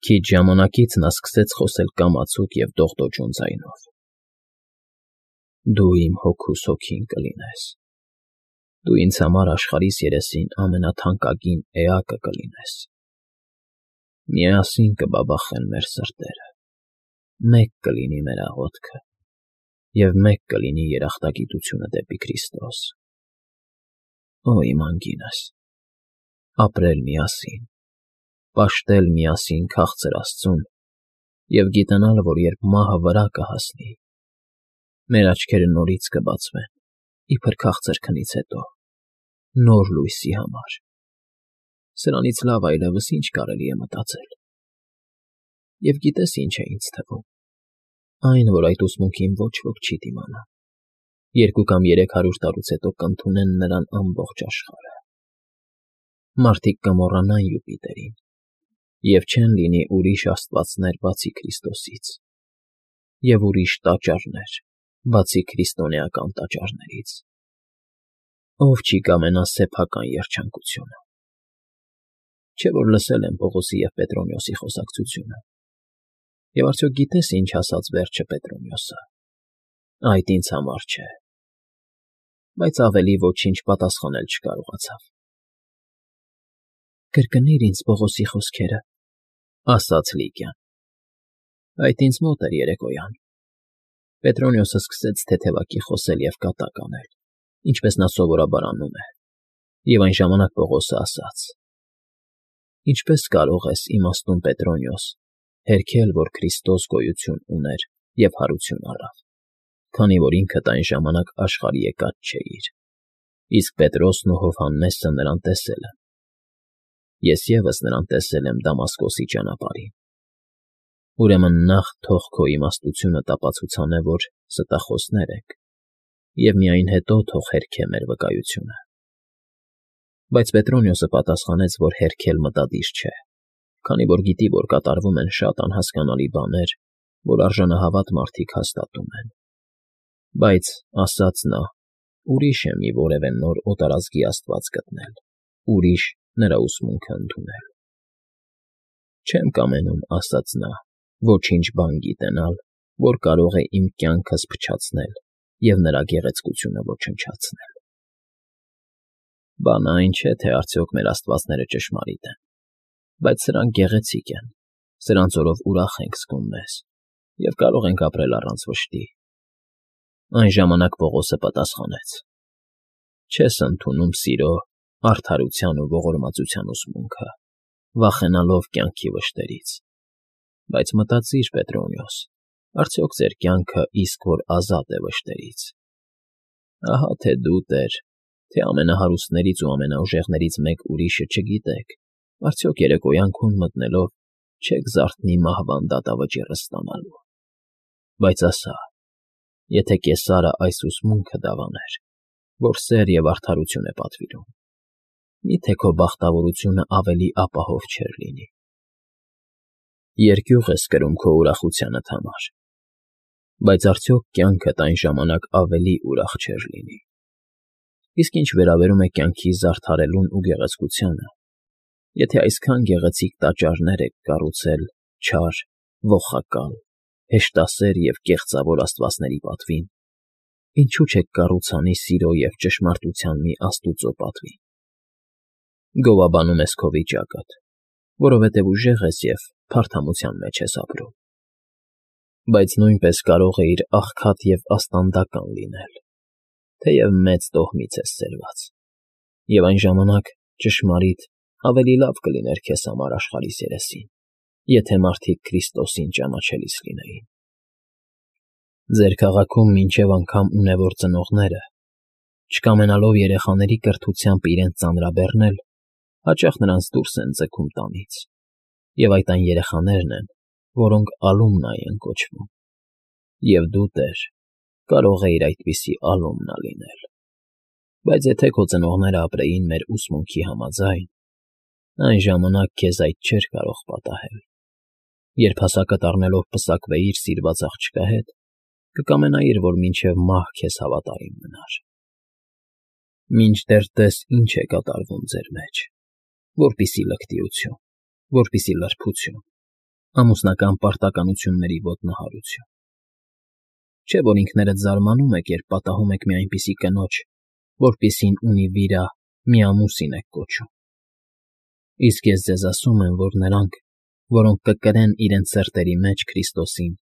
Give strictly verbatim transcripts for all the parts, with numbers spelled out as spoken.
Քիչ ժամանակից նա սկսեց խոսել կամացուկ և դողդոջուն ձայնով. «Դու իմ հոգուս հոգին կլինես, դու ինձ համար աշխարհիս երեսին ամենաթանկագին էակը կլինես, միասին կբաբախեն մեր սրտերը, մեկ կլինի մեր աղոթքը և մեկ կլինի երախտագիտությունը դեպի Քրիստոս, օ իմ անգինս, ապրել միասին, պաշտել միասին քաղցր Աստծուն և գիտենալ, որ երբ մահը վրա կհասնի, մեր աչքերը նորից կբացվեն, իբր քաղցր քնից հետո, նոր լույսի համար, սրանից լավ այլևս ի՞նչ կարելի է մտածել։ Եվ գիտե՞ս ինչ է ինձ թվում, այն, որ այդ ուսմունքին ոչ ոք չի դիմանա, երկու կամ երեք հարյուր տարուց հետո կընդունեն նրան ամբողջ աշխարհը, մարդիկ կմոռանան Յուպիտերին և չեն լինի ուրիշ աստվածներ բացի Քրիստոսից և ուրիշ տաճարներ բացի քրիստոնեական տաճարներից, ով չի կամենա սեփական երջանկությունը։ Չէ՞ որ լսել եմ Պողոսի և Պետրոնյոսի խոսակցությունը, և արդյոք գիտե՞ս ինչ ասաց վերջը Պետրոնյոսը. «Այդ ինձ համար չէ», բայց ավելի ոչինչ պատասխանել չկարողացավ։ «Կրկնի՛ր ինձ Պողոսի խոսքերը», ֊ ասաց Լիկիան։ Այդ ինձ մոտ էր երեկոյան։ Պետրոնյոսը սկսեց թեթևակի խոսել և կատակ անել, ինչպես նա սովորաբար անում է, և այն ժամանակ Պողոսը ասաց. «Ինչպե՞ս կարող ես, իմաստուն Պետրոնյոս, հերքել, որ Քրիստոս գոյություն ուներ և հարություն առավ, քանի որ ինքդ այն ժամանակ աշխարհ եկած չէիր, իսկ Պետրոսն ու Հովհաննեսը նրան տեսել են։ Ես ևս նրան տեսել եմ Դամասկոսի ճանապարհին։ Ուրեմն նախ թող քո իմաստությունը տապացուցանե, որ ստախոսներ ենք, և միայն հետո թող հերքե մեր վկայությունը»։ Բայց Պետրոնյոսը պատասխանեց, որ հերքել մտադիր չէ, քանի որ գիտի, որ կատարվում են շատ անհասկանալի բաներ, որ արժանահավատ մարդիկ հաստատում են։ Բայց, ասաց նա, ուրիշ է մի որևէ նոր օտարազգի աստված գտնել, ուրիշ նրա ուսմունքը ընդունել։ «Չեմ կամենում, — ասաց նա, — ոչինչ բան գիտենալ, որ կարող է իմ կյանքս փչացնել և նրա գեղեցկությունը ոչնչացնել։ Բանը այն չէ, թե արդյոք մեր աստվածները ճշմարիտ են, բայց սրանք գեղեցիկ են, սրանց օրով ուրախ ենք զգում մեզ և կարող ենք ապրել առանց վշտի»։ Այն ժամանակ Պողոսը պատասխանեց. «Չես ընդունում սիրո, արդարության ու ողորմածության ուսմունքը, վախենալով կյանքի վշտերից, բայց մտածիր, Պետրոնյոս, արդյոք ձեր կյանքը իսկ որ ազատ է վշտերից։ Ահա թե դու, Տեր, թե ամենահարուստներից ու ամենաուժեղներից մեկ ուրիշը չգիտեք, արդյոք երեկոյանքուն մտնելով չեք զարթնի մահվան դատավճիռը ստանալու։ Բայց ասա, եթե Կեսարը այս ուսմունքը դավաներ, որ սեր և արդարություն է պատվիրում, մի՞թե քո բախտավորությունը ավելի ապահով չէր լինի։ Երկյուղ ես կրում քո ուրախությանդ համար, բայց արդյոք կյանքդ այն ժամանակ ավելի ուրախ չէր լինի։ Իսկ ինչ վերաբերում է կյանքի զարդարելուն ու գեղեցկությանը, եթե այսքան գեղեցիկ տաճարներ եք կառուցել չար, ողակալ, հեշտասեր և կեղծավոր աստվածների պատվին, ինչո՞ւ չեք կառուցանի սիրո և ճշմարտության մի աստուծո պատվին։ Գովաբանում ես քո վիճակդ, որովհետև ուժեղ ես և փարթամության մեջ ես ապրում։ Բայց նույնպես կարող էիր աղքատ և աստանդական լինել, թեև մեծ տոհմից ես ծերված, և այն ժամանակ, ճշմարիտ, ավելի լավ կլիներ քեզ համար աշխարհիս երեսին, եթե մարդիկ Քրիստոսին ճանաչելիս լինեին։ Ձեր քաղաքում մինչև անգամ ունևոր ծնողները, չկամենալով երեխաների կրթությամբ իրենց ծանրաբեռնել, հաճախ նրանց դուրս են ձգում տանից, և այդ այն երեխաներն են, որոնք ալումնա են կոչվում, և դու, Տեր, կարող էիր այդպիսի ալումնա լինել։ Բայց եթե քո ծնողները ապրեին մեր ուսմունքի համաձայն, այն ժամանակ քեզ այդ չէր կարող պատահել։ Երբ հասակդ առնելով պսակվեիր սիրված աղջկա հետ, կկամենայիր, որ մինչև մահ քեզ հավատարիմ մնար։ Մինչդեռ տես ինչ է կատարվում ձեր մեջ, որպիսի լկտիություն, որպիսի լրբություն, ամուսնական պարտականությունների ոտնահարություն։ Չէ՞ որ ինքներդ զարմանում եք, երբ պատահում եք մի այնպիսի կնոջ, որպիսին ունի վիրա, մի ամուսին եք կոչում։ Իսկ ես ձեզ ասում եմ, որ նրանք, որոնք կկրեն իրենց սրտերի մեջ Քրիստոսին,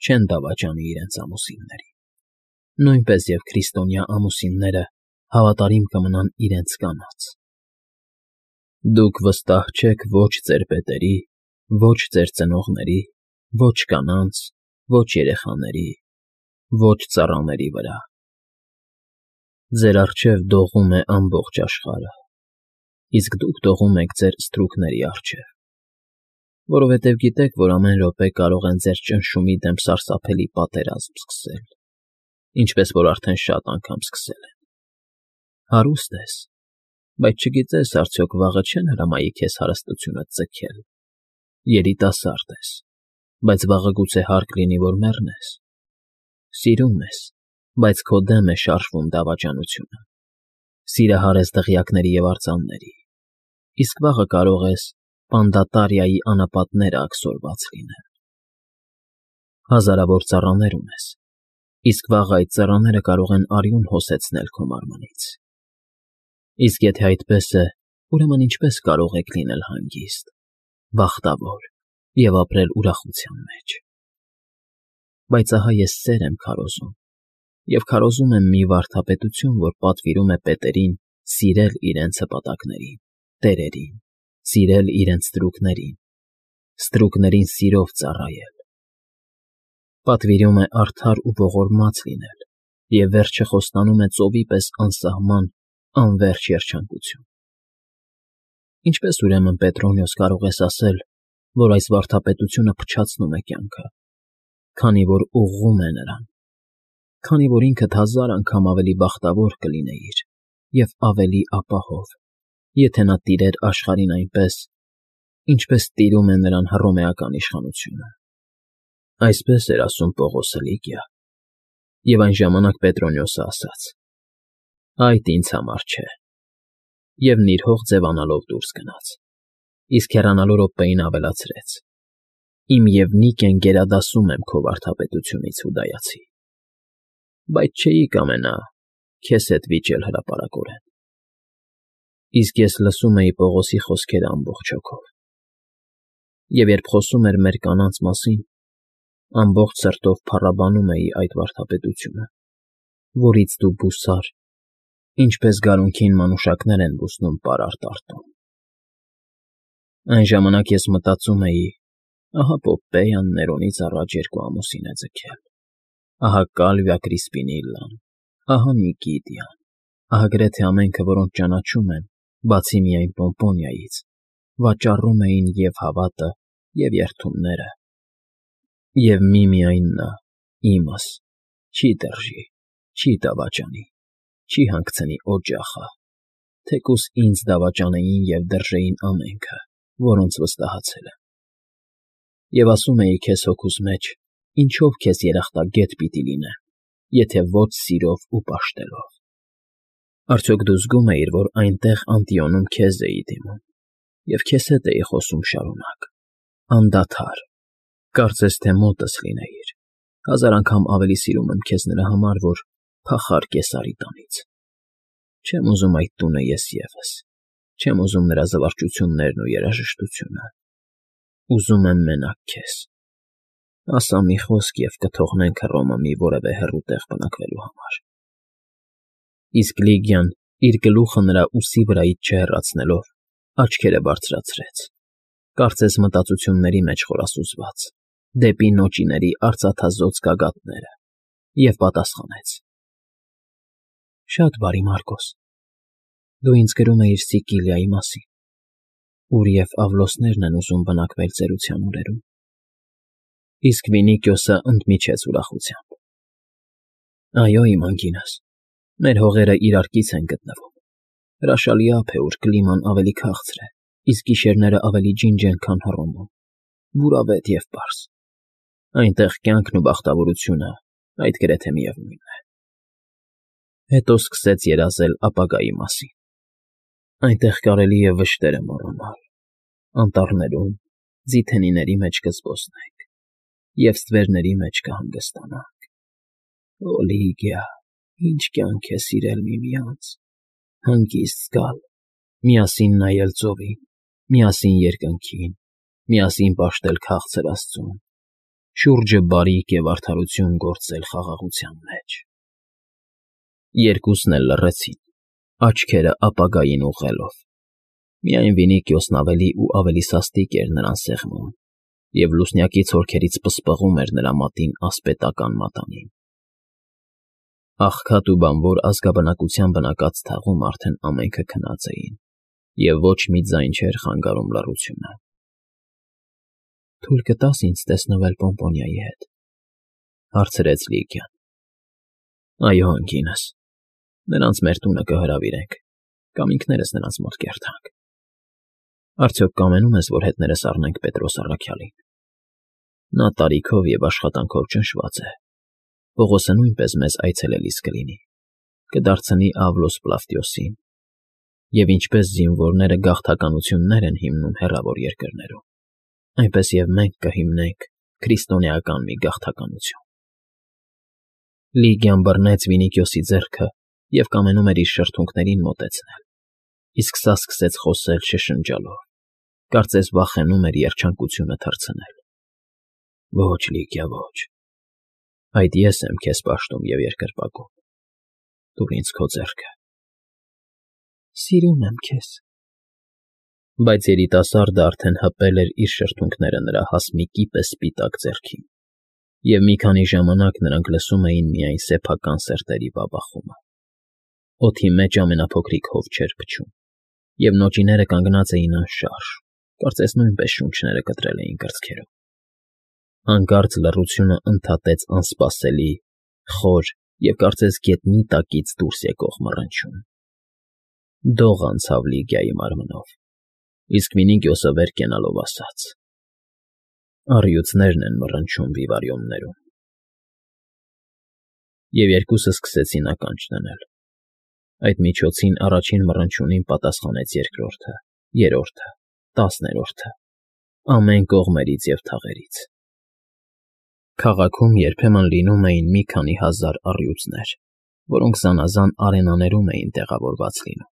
չեն դավաճանի իրենց ամուսիններին, նույնպես և քրիստոնյա ամուսինները հավատարիմ կմնան իրենց կանանց։ Դուք վստահ չեք ոչ ձեր պետերի, ոչ ձեր ծնողների, ոչ կանանց, ոչ երեխաների, ոչ ծառաների վրա։ Ձեր առջև դողում է ամբողջ աշխարհը, իսկ դուք դողում եք ձեր ստրուկների առջև, որովհետև գիտեք, որ ամեն րոպե կարող են ձեր ճնշումի դեմ սարսափելի պատերազմ սկսել, ինչպես որ արդեն շատ անգամ սկսել են։ Հարուստ ես, բայց չգիտես արդյոք վաղը չեն հրամայի քեզ հարստությունդ ձգել, երիտասարդ ես, բայց վաղը գուցե հարկ լինի, որ մեռնես, սիրում ես, բայց քո դեմ է շարժվում դավաճանությունը, սիրահար ես դղյակների և արձանների, իսկ վաղը կարող ես Պանդատարիայի անապատները աքսորված լինել։ Հազարավոր ծառաներ ունես, իսկ վաղը այդ ծառաները կարող են արյուն հոսեցնել քո մարմնից։ Իսկ եթե այդպես է, ուրեմն ինչպե՞ս կարող եք լինել հանգիստ, բախտավոր և ապրել ուրախության մեջ։ Բայց ահա ես սեր եմ քարոզում, և քարոզում եմ մի վարդապետություն, որ պատվիրում է պետերին սիրել իրենց հպատակներին, տերերին, սիրել իրենց ստրուկներին, ստրուկներին սիրով ծառայել։ Պատվիրում է արդար ու ողորմած լինել և վերջը խոստանում է ծովի պես անսահման, անվերջ երջանկություն։ Ինչպե՞ս ուրեմն, Պետրոնիոս, կարող ես ասել, որ այս վարդապետությունը փչացնում է կյանքը, քանի որ ուղղում է նրան, քանի որ ինքդ հազար անգամ ավելի բախտավոր կլինեիր և ավելի ապահով, եթե նա տիրեր աշխարհին այնպես, ինչպես տիրում է նրան հռոմեական իշխանությունը։ Այսպես էր ասում Պողոսը Լիգիա, և այն ժամանակ Պետրոնիոսը ասաց. «Այդ ինձ համար չէ», և նիրհող ձևանալով դուրս գնաց, իսկ հեռանալու րոպեին ավելացրեց. «Իմ Եվնիկեն գերադասում եմ քո վարդապետությունից, Հուդայացի, բայց չէի կամենա քեզ հետ վիճել հրապարակորեն»։ Իսկ ես լսում էի Պողոսի խոսքերը ամբողջ հոգով, և երբ խոսում էր մեր կանանց մասին, ամբողջ սրտով փառաբանում էի այդ վարդապետությունը, որից դու բուսար, ինչպես գարունքին մանուշակներ են բուսնում պարարտ տարտում։ Այն ժամանակ ես մտածում էի. ահա Պոմպեյան Ներոնից առաջ երկու ամուսին է ձգել, ահա Կալվիա Կրիսպինիլլան, ահա Նիկիդիան, ահա գրեթե ամենքը, որոնց ճանաչում եմ, բացի միայն Պոմպոնիայից, վաճառում էին և՛ հավատը, և՛ երդումները, և միմիայն նա, իմս, չի տերժի, չի դավաճանի, չի հանգցնի օջախը, թեկուզ ինձ դավաճանեին և դրժեին ամենքը, որոնց վստահացել եմ։ Եվ ասում էի քեզ հոգուս մեջ. ինչո՞վ քեզ երախտագետ պիտի լինեմ, եթե ոչ սիրով ու պաշտելով։ Արդյոք դու զգում էիր, որ այնտեղ Անտիոնում քեզ էի դիմում, և քեզ հետ էի խոսում շարունակ, անդադար, կարծես թե մոտս լինեիր, հազար անգամ ավելի սիրում եմ քեզ նրա համար, որ փախար Կեսարի տանից։ Չեմ ուզում այդ տունը ես ևս, չեմ ուզում նրա զվարճություններն ու երաժշտությունը, ուզում եմ մենակ քեզ։ Ասա մի խոսք, և կթողնենք Հռոմը մի որևէ հեռու տեղ բնակվելու համար։ Իսկ Լիգիան, իր գլուխը նրա ուսի վրայից չհեռացնելով, աչքերը բարձրացրեց, կարծես մտածությունների մեջ խորասուզված, դեպի նոճիների արծաթազօծ գագաթները, և պատասխանեց. «Շատ բարի, Մարկոս, դու ինձ գրում էիր Սիկիլիայի մասին, ուր և Ավլոսներն են ուզում բնակվել ծերության օրերում»։ Իսկ Վինիկիոսը ընդմիջեց ուրախությամբ. «Այո, իմ անգինս, մեր հողերը իրար կից են գտնվում, հրաշալի ափ է, ուր կլիման ավելի քաղցր է, իսկ գիշերները ավելի ջինջ են, քան Հռոմում, բուրավետ և պարզ։ Այնտեղ կյանքն ու բախտավորությունը այդ գրեթե միևնույնն է»։ Հետո սկսեց երազել ապագայի մասին. այնտեղ կարելի է վշտերը մոռանալ, անտառներում, Ձիթենիների մեջ կզբոսնենք և ստվերների մեջ կհանգստանանք։ Օլիգիա, ինչ կյանք է սիրել միմյանց, հանգիստ զգալ, միասին նայել ծովին, միասին երկնքին, միասին պաշտել քաղցր աստծուն, շուրջը բարիք և արդարություն գործել խաղաղության մեջ։ Երկուսն էլ լռեցին, աչքերը ապագային ուղղելով։ Միայն Վինիքիոսն ավելի ու ավելի սաստիկ էր նրան սեղմում, և լուսնյակի ցորքերից պսպղում էր նրա մատին ասպետական մատանին։ Աղքատ ու բանվոր ազգաբնակության բնակած թաղում արդեն ամենքը քնած էին, և ոչ մի ձայն չէր խանգարում լռությունը։ ֊ Թույլ կտա՞ս ինձ տեսնվել Պոմպոնիայի հետ,֊ հարցրեց Լիգիան։ ֊ Այո, ընկինս, նրանց մեր տունը կհրավիրենք կամ ինքներս նրանց մոտ կերթանք։ Արդյոք կամենում ես, որ հետներս առնենք Պետրոս առաքյալին։ Նա տարիքով և աշխատանքով ճնշված է, Պողոսը նույնպես մեզ այցելելիս կլինի, կդարձնի Ավլոս Պլավտիոսին, և ինչպես զինվորները գաղթականություններ են հիմնում հեռավոր երկրներում, այնպես և մենք կհիմնենք քրիստոնեական մի գաղթականություն։ Լիգիան բռնեց Վինիքիոսի ձեռքը և կամենում էր իր շրթունքներին մոտեցնել, իսկ սա սկսեց խոսել շշնջալով, կարծես վախենում էր երջանկությունը թռցնել։ ֊ Ոչ, Լիգիա, ոչ, այդ ես եմ քեզ պաշտում և երկրպագում, տուր ինձ քո ձեռքը։ ֊ Սիրում եմ քեզ։ Բայց երիտասարդը արդեն հպել էր իր շրթունքները նրա հասմիկի պես սպիտակ ձեռքին, և մի քանի ժամանակ նրանք լսում էին միայն սեփական սրտերի բաբախումը։ Օդի մեջ ամենափոքրիկ հով չէր փչում, և նոճիները կանգնած էին անշարժ, կարծես նույնպես շունչները կտրել էին կրծքերում։ Հանկարծ լռությունը ընդհատեց անսպասելի, խոր և կարծես գետնի տակից դուրս եկող մռնչյուն։ Դող անցավ Լիգիայի մարմնով, իսկ Վինիքիոսը վեր կենալով ասաց. «Առյուծներն են մռնչում վիվարիոններում»։ Եվ երկուսը սկսեցին ականջ դնել։ Այդ միջոցին առաջին մռնչյունին պատասխանեց երկրորդը, երրորդը, տասներորդը, ամեն կողմերից և թաղերից։ Քաղաքում երբեմն լինում էին մի քանի հազար առյուծներ, որոնք զանազան արենաներում էին տեղավորված լինում,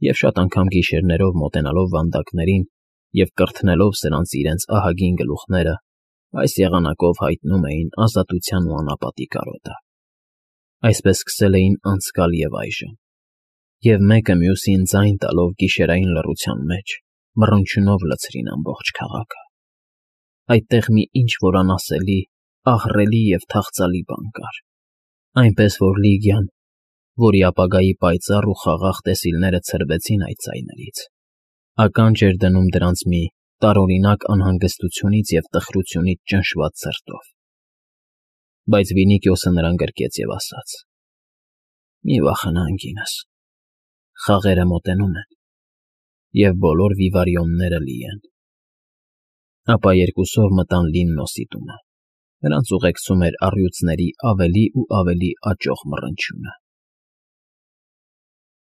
և շատ անգամ գիշերներով մոտենալով վանդակներին և կրթնելով սրանց իրենց ահագին գլուխները, այս եղանակով հայտնում էին ազատության ու անապատի կարոտը։ Այսպես սկսել էին անցկալ և այժմ, և մեկը մյուսին ձայն տալով գիշերային լռության մեջ մռնչյունով լցրին ամբողջ քաղաքը։ Այդտեղ մի ինչ֊որ անասելի, ահռելի և թախծալի բան կար, այնպես որ Լիգիան, որի ապագայի պայծառ ու խաղաղ տեսիլները ցրվեցին այդ ձայներից, ականջ էր դնում դրանց մի տարօրինակ անհանգստությունից և տխրությունից ճնշված սրտով։ Բայց Վինիքիոսը նրան գրկեց և ասաց. «Մի վախենա, ընկինս, խաղերը մոտենում են, և բոլոր վիվարիոնները լի են»։ Ապա երկուսով մտան Լիննոսի տունը։ Նրանց ուղեկցում էր առյուծների ավելի ու ավելի աճող մռնչյունը։